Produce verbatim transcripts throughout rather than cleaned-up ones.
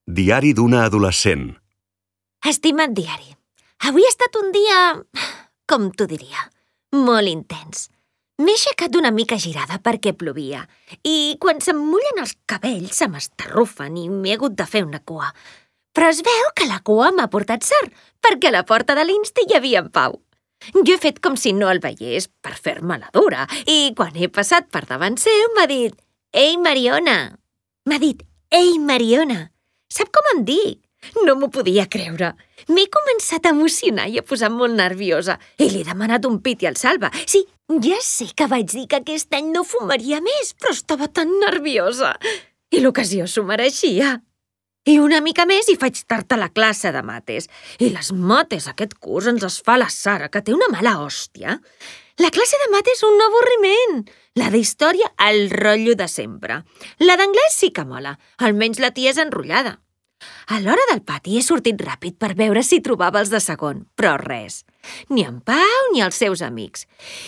Diari d'una adolescent. Estimat diari, avui ha estat un dia, com t'ho diria, molt intens. M'he aixecat una mica girada perquè plovia i quan se'm mullen els cabells se m'estarrufen i m'he hagut de fer una cua. Però es veu que la cua m'ha portat sort perquè a la porta de l'Insti hi havia en Pau. Jo he fet com si no el veiés per fer-me la dura i quan he passat per davant seu m'ha dit «Ei, Mariona!». M'ha dit «Ei, Mariona!». Sap com em dic? No m'ho podia creure. M'he començat a emocionar i a posar molt nerviosa i li he demanat un pit i el salva. Sí, ja sé que vaig dir que aquest any no fumaria més, però estava tan nerviosa. I l'ocasió s'ho mereixia. I una mica més i faig tard a la classe de mates. I les mates aquest curs ens les fa la Sara, que té una mala hòstia. La classe de mates és un avorriment. La d'història, el rotllo de sempre. La d'anglès sí que mola, almenys la tia és enrotllada. A l'hora del pati he sortit ràpid per veure si trobava els de segon, però res. Ni en Pau ni els seus amics.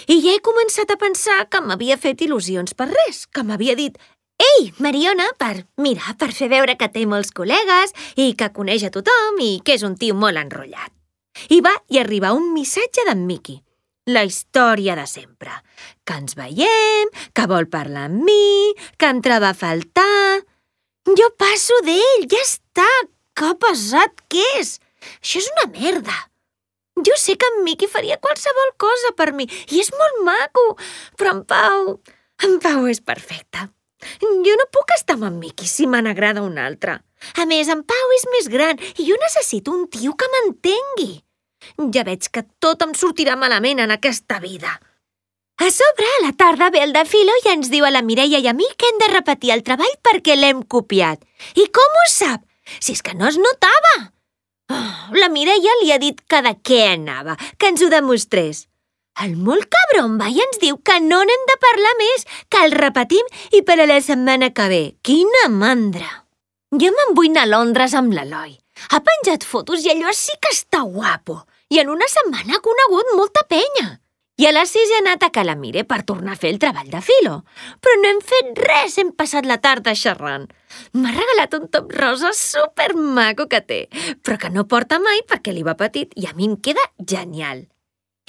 I ja he començat a pensar que m'havia fet il·lusions per res, que m'havia dit «Ei, Mariona!» per, mira, per fer veure que té molts col·legues i que coneix a tothom i que és un tio molt enrotllat. I va i arriba un missatge d'en Miqui. La història de sempre. Que ens veiem, que vol parlar amb mi, que em troba a faltar... Jo passo d'ell, ja està! Que pesat que és! Això és una merda! Jo sé que en Miqui faria qualsevol cosa per mi, i és molt maco, però en Pau... En Pau és perfecte. Jo no puc estar amb en Miqui si me n'agrada un altre. A més, en Pau és més gran i jo necessito un tio que m'entengui. Ja veig que tot em sortirà malament en aquesta vida. A sobre, a la tarda ve el de Filo i ens diu a la Mireia i a mi que hem de repetir el treball perquè l'hem copiat. I com ho sap? Si és que no es notava! Oh, la Mireia li ha dit que de què anava, que ens ho demostrés. El molt cabron va i ens diu que no n'hem de parlar més, que el repetim i per a la setmana que ve. Quina mandra! Jo me'n vull anar a Londres amb l'Eloi. Ha penjat fotos i allò sí que està guapo. I en una setmana ha conegut molta penya. I a les sis he anat a Calamire per tornar a fer el treball de Filo. Però no hem fet res, hem passat la tarda xerrant. M'ha regalat un top rosa supermaco que té, però que no porta mai perquè li va petit i a mi em queda genial.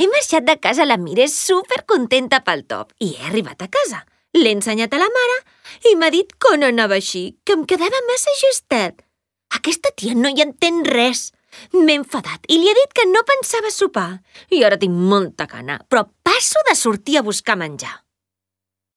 He marxat de casa a la Mire supercontenta pel top i he arribat a casa. L'he ensenyat a la mare i m'ha dit que no anava així, que em quedava massa justet. Aquesta tia no hi entén res. M'he enfadat i li he dit que no pensava sopar. I ara tinc molta gana, però passo de sortir a buscar menjar.